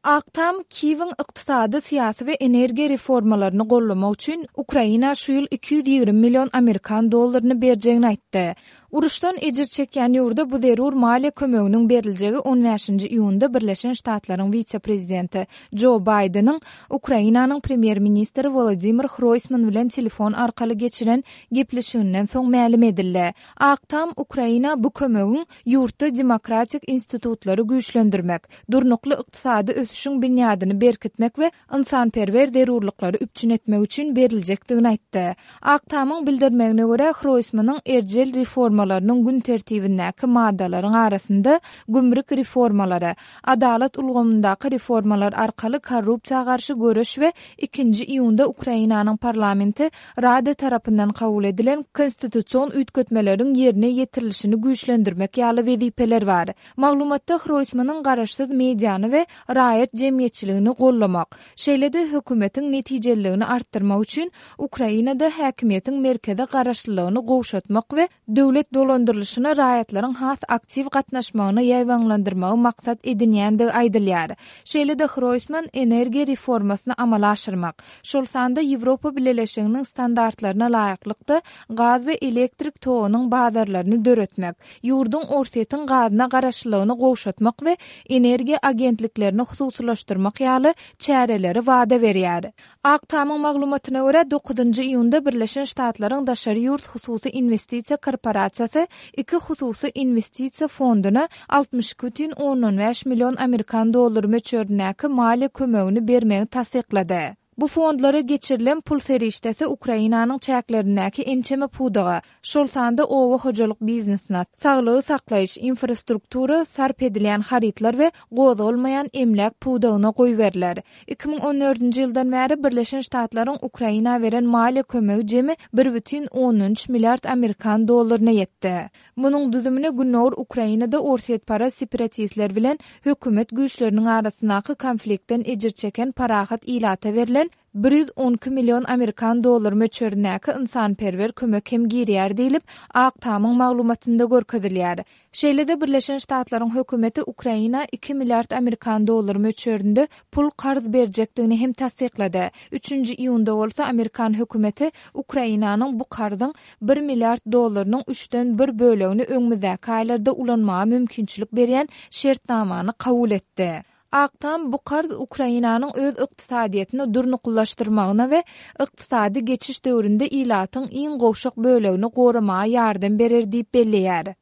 Ak Tam Kiýewiň ykdysady, syýasy we energiýa reformalaryny gollamak üçin Ukraina şu ýyl 220 million amerikan dollaryny berjegini aýtdy. Uruşdan ejir çekýän ýurda bu zerur maliýe kömeginiň beriljegi on bäşinji iýunda Birleşen Ştatlaryň wise-prezidenti Jo Baýdeniň Ukrainanyň premýer-ministri Wolodymyr Hroýsman bilen telefon arkaly geçiren gepleşiginden soň mälim edildi. Ak Tam Ukraina bu kömegiň ýurtda demokratik institutlary güýçlendirmek, durnukly ykdysady ösüşiň binýadyny berkitmek we ynsanperwer zerurlyklary üpjün etmek üçin beriljekdigini aýtdy. Ak Tamyň bildirmegine görä, Hroýsmanyň erjel reformalarynyň gün tertibindäki maddalaryň arasynda gümrük reformalary, adalat ulgamyndaky reformalar arkaly korrupsiýa garşy göreş we ikinji iýunda Ukrainanyň parlamenti Rada tarapyndan kabul edilen konstitusion üýtgetmeleriň ýerine ýetirilişini güýçlendirmek ýaly wezipeler bar. Maglumatda Hroýsmanyň garaşsyz mediany we raýat jemgyýetçiligini gollamak, şeýle-de hökümetiň netijeliligini artdyrmak üçin Ukrainada häkimiýetiň merkeze garaşlylygyny gowşatmak we döwlet dolandyrylyşyna raýatlaryň has aktiw gatnaşmagyny ýaýbaňlandyrmagy maksat edinýändigi aýdylýar. Şeýle-de Hroýsman energiýa reformasyny amala aşyrmak, şol sanda Ýewropa Bileleşiginiň standartlaryna laýyklykda gaz we elektrik togunyň bazarlaryny döretmek, ýurduň Orsýetiň gazyna garaşlylygyny gowşatmak we energiýa agentliklerini hususylaşdyrmak ýaly çäreleri wada berýär. Ak Tamyň maglumatyna görä, dokuzynjy iýunda Birleşen Ştatlaryň daşary ýurt hususy inwestisiýa korporasiýasy iki hususy inwestisiýa fonduna 62,5 million amerikan dollary möçberindäki maliýe kömegini bermegi tassyklady. Bu fondlara geçirilen pul serişdesi Ukrainanyň çäklerindäki ençeme pudaga, şol sanda oba hojalyk biznesine, saglygy saklaýyş, infrastruktura, sarp edilýän harytlar we gozgalmaýan emläk pudagyna goýberiler. 2014-nji ýyldan bäri Birleşen Ştatlaryň Ukraina beren maliýe kömegi jemi 1,3 milliard amerikan dollaryna ýetdi. Munuň düzümine gündogar Ukrainada orsýetparaz separatistler bilen hökümet güýçleriniň arasyndaky konfliktden ejir çeken parahat ilata berlen 112 million amerikan dollary möçberindäki ynsanperwer kömek hem girýär diýlip, Ak Tamyň maglumatynda görkezilýär. Şeýle-de Birleşen Ştatlaryň hökümeti Ukraina iki milliard amerikan dollary möçberinde pul karz berjekdigini hem tassyklady. Üçünji iýunda bolsa amerikan hökümeti Ukrainanyň bu karzyň bir milliard dollarynyň üçden bir bölegini öňümizdäki aýlarda ulanmaga mümkinçilik berýän şertnamany kabul etdi. Ak Tam bu karz Ukrainanyň öz ykdysadyýetini durnuklylaşdyrmagyna we ykdysady geçiş döwründe ilatyň iň gowşak bölegini goramaga ýardam berer diýip belleýär.